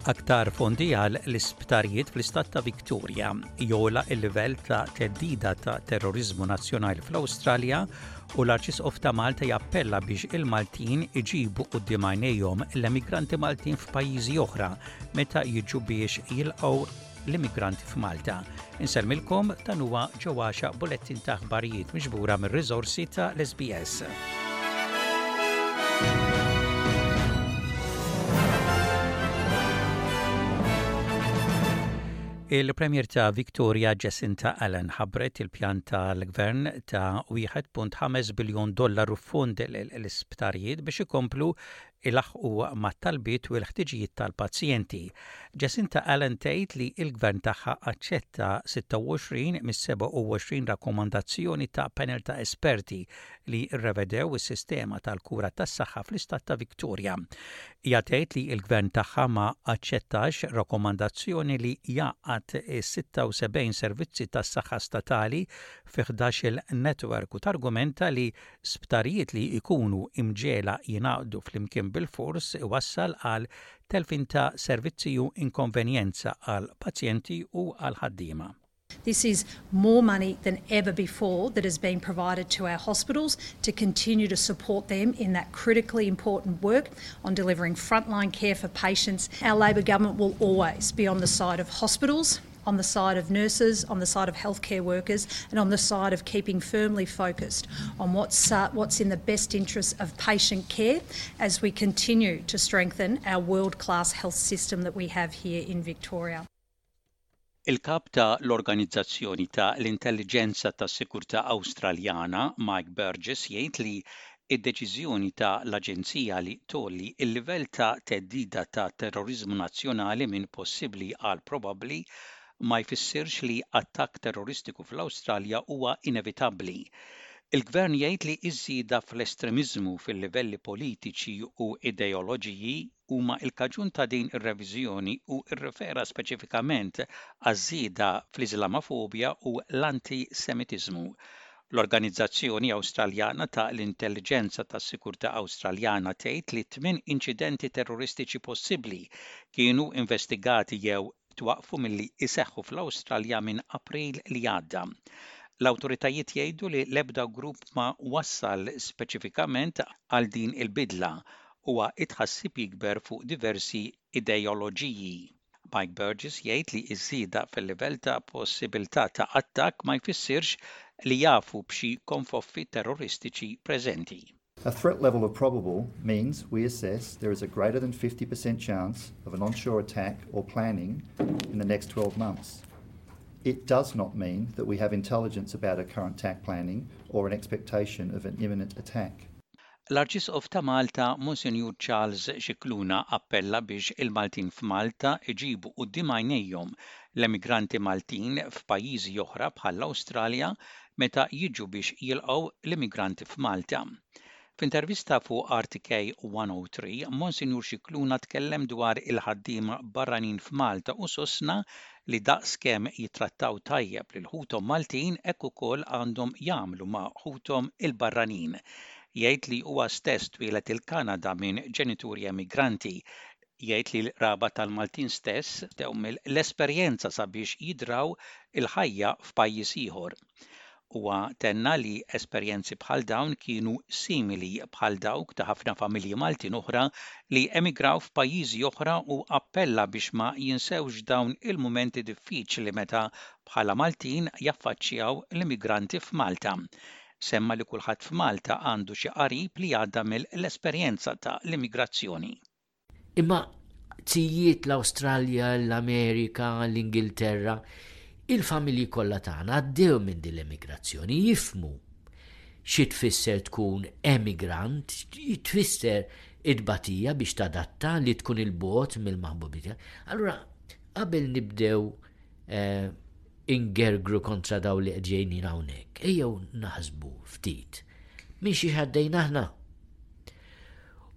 Aktar fondi għal l-isptarijiet fl-istat ta' Victoria jola il-livell ta' teddida ta' terrorizmu nazzjonali fl-Awstralja u l-Arċisqof ta' Malta jappella biex il-Maltin iġibu quddiem għajnejhom l-emigranti Maltin f'pajjiżi oħra meta jiġu biex jilqgħu l-immigranti f'Malta. Insellmilkom dan huwa ġewwaxa bulettin ta' aħbarijiet miġbura mir-riżorsi ta' l-SBS. Il-Premier ta' Victoria Jacinta Allen ħabbret il-pjan tal-gvern ta' 1.5 biljun dollaru fond l-isptarijiet biex ikomplu ilaħħqu mat-talbiet u l-ħtiġijiet tal-pazjenti. Jacinta Allen tgħid li l-Gvern tagħha aċċetta 26 mis-27 rakkomandazzjoni ta' panel ta' esperti li rrevedew is-sistema tal-kura tas-saħħa fl-istat ta' Victoria. Hija tgħid li l-Gvern tagħha ma aċċettax rakkomandazzjoni li jgħaqqad is-76 servizzi tas-saħħa statali fi ħdax-il netwerk u targumenta li Sptarijiet li jkunu imġegħla jingħaqdu flimkien bilfors iwassal għal telfien ta' servizzi u inkonvenjenza għall-pazjenti u għall-ħaddiema. This is more money than ever before that has been provided to our hospitals to continue to support them in that critically important work on delivering frontline care for patients. Our Labor government will always be on the side of hospitals, on the side of nurses, on the side of healthcare workers, and on the side of keeping firmly focused on what's, uh, what's in the best interests of patient care as we continue to strengthen our world-class health system that we have here in Victoria. Il-kap ta' l-Organizzazzjoni ta' l-Intelliġenza tas-Sigurtà Awstraljana, Mike Burgess, jgħid li id-deċiżjoni ta' l-Aġenzija li tgħolli l-livell ta' theddida ta' terroriżmu nazzjonali minn possibbli għal probabbli ma jfissirx li attakk terroristiku fl-Awstralja huwa inevitabbli. Il-Gvern jgħid li ż-żieda fl-estremiżmu fil-livelli politiċi u ideoloġiji huma l-kaġun ta' din ir-reviżjoni u rrefera speċifikament għaż-żieda fl-Iżlamofobja u l-anti-Semitiżmu. L-Organizzazzjoni Awstraljana ta' l-Intelliġenza tas-Sigurtà Awstraljana tgħid li tminn inċidenti terroristiċi possibbli kienu investigati jew twaqqfu milli jseħħu fl-Awstralja minn April li għadda. L-awtoritajiet jgħidu li l-ebda grupp ma wassal speċifikament għal din il-bidla u t-tħassib jikber fuq diversi ideoloġiji. Mike Burgess jgħid li ż-żieda fil-livell ta' possibilità ta' attakk ma jfissirx li jafu b'xi konfoffi terroristiċi preżenti. A threat level of probable means we assess there is a greater than 50% chance of an onshore attack or planning in the next 12 months. It does not mean that we have intelligence about a current attack planning or an expectation of an imminent attack. L-Arċisqof ta' Malta, Monsinjur Charles Scicluna appella biex il-Maltin f'Malta iġibu quddiem għajnejhom l-emigranti Maltin f'pajjiżi oħra bħall-Awstralja meta jiġu biex jilqgħu l-immigranti f'Malta. F'intervista fuq RTK 103, Monsinjur Scicluna tkellem dwar il-ħaddiema barranin f'Malta u sostna li daqs kemm jittrattaw tajjeb lil ħuthom Maltin hekk ukoll għandhom jagħmlu ma' ħuthom il-barranin. Jgħid li huwa stess twieled il-Kanada minn ġenituri emigranti. Jgħid li l-qraba tal-Maltin stess bdew mill-esperjenza sabiex jidraw il-ħajja f'pajjiż ieħor. Huwa tenna li esperjenzi bħal dawn kienu simili bħal dawk ta' ħafna familji Maltin oħra li emigraw f'pajjiżi oħra u appella biex ma jinsewx dawn il-mumenti diffiċli meta bħala Maltin jaffaċċjaw l-immigranti f'Malta. Semma li kulħadd f'Malta għandu xi qarib li għadda mill-esperjenza ta' l-immigrazzjoni. Imma zijiet l-Awstralja, l-Amerika, l-Ingilterra, il-familji kollha tagħna għaddew minn din l-emigrazzjoni, jifhmu xi tfisser tkun emigrant, tfisser it-tbatija biex tadatta li tkun il-bogħod mill-maħbubin tiegħek. Allura qabel nibdew eh, ingergru kontra daw li qed ġejnin hawnhekk, ejjew naħsbu ftit minn xi għaddejna aħna.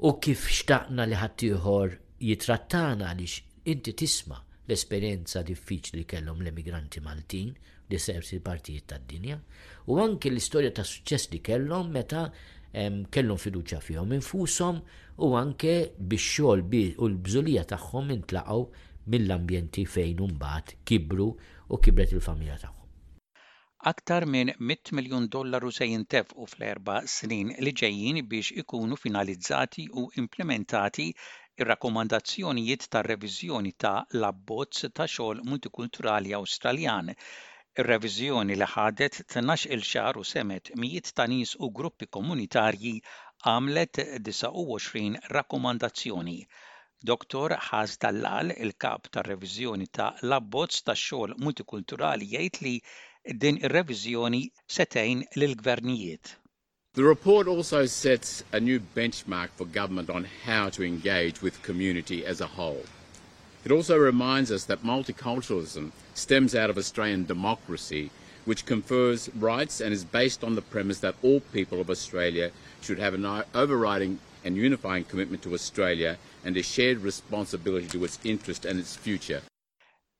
U kif xtaqna li ħaddieħor jitrattana għaliex inti tisma' l-esperjenza diffiċli li kellhom l-emigranti Maltin f'disersi partijiet tad-dinja u anki l-istorja ta' suċċess li kellhom meta Kellhom fiduċja fihom infushom u anke bix-xogħol u l-bżulija tagħhom intlaqgħu mill-ambjenti fejn imbagħad kibru u kibret il-familja tagħhom. Aktar minn mitt miljun dollaru se jintefqu fl-erba' snin li ġejjin biex ikunu finalizzati u implimentati r-rakkomandazzjonijiet tar-reviżjoni ta' l-abbozz ta' xogħol multikulturali Awstraljan. Ir-reviżjoni li ħadet tnax-il xahar u semgħet mijiet ta' nies u gruppi komunitarji għamlet 29 rakkomandazzjoni. Dottor Haz Dallal, il-kap tar-reviżjoni ta' l-abbozz tax-xogħol multikulturali jgħid li din ir-reviżjoni se tgħin lill-gvernijiet. The report also sets a new benchmark for government on how to engage with community as a whole. It also reminds us that multiculturalism stems out of Australian democracy, which confers rights and is based on the premise that all people of Australia should have an overriding and unifying commitment to Australia and a shared responsibility to its interest and its future.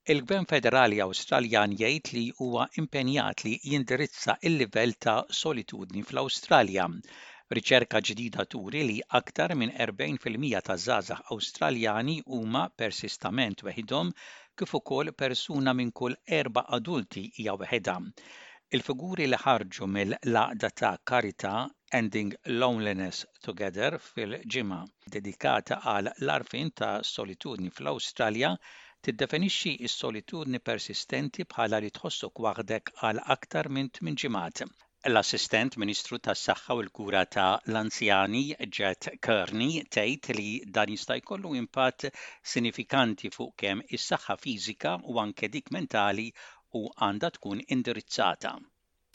Il-Gvern Federali Awstraljan jgħid li huwa impenjat li jindirizza l-livell ta' solitudni fl-Awstralja. Riċerka ġdida turi li aktar minn 40 fil-mija taż-żgħażagħ Awstraljani huma persistament weħidhom kif ukoll persuna minn kull erba' adulti hija weħidha. Il-figuri li ħarġu mill-għaqda ta' karità Ending Loneliness Together fil-ġimgħa dedikata għal l-għarfien ta' solitudni fl-Awstralja tiddefinixxi s-solitudni persistenti bħala li tħossok waħdek għal aktar minn tminn ġimgħat. L-Assistent Ministru tas-Saħħa u l-Kura ta' l-Anzjani Jet Kearney tgħid li dan jista' jkollu impatt sinifikanti fuq kemm is-saħħa fiżika u anke dik mentali u għandha tkun indirizzata.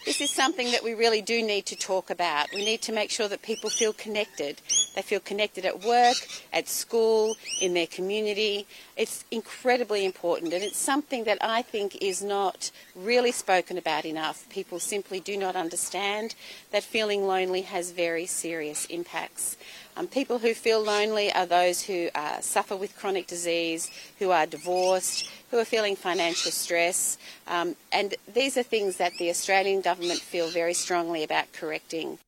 This is something that we really do need to talk about. We need to make sure that people feel connected. They feel connected at work, at school, in their community. It's incredibly important and it's something that I think is not really spoken about enough. People simply do not understand that feeling lonely has very serious impacts. Um, people who feel lonely are those who uh, suffer with chronic disease, who are divorced, who are feeling financial stress. Um, and these are things that the Australian government feel very strongly about correcting.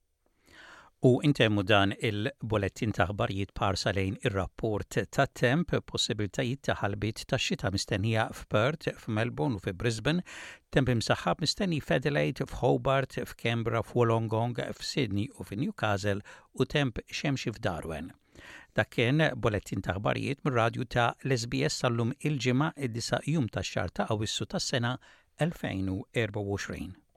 U intemmu dan il-bulettin ta' aħbarijiet b'ħarsa lejn ir-rapport tat-temp, possibiltajiet ta' ħalbiet tax-xita mistennija f'Perth, f'Melbourne u fi Brisbane, temp imsaħħab mistenni f'Adelaide, f'Hobart, f'Canberra, f'Wollongong, f'Sydney u fi Newcastle u temp xemxi f'Darwen. Dak kien bulettin ta' aħbarijiet mir-radju ta' l-SBS sal-lum il-Ġimgħa id-disa' jum tax-xahar ta' Awwissu tas-sena 2024.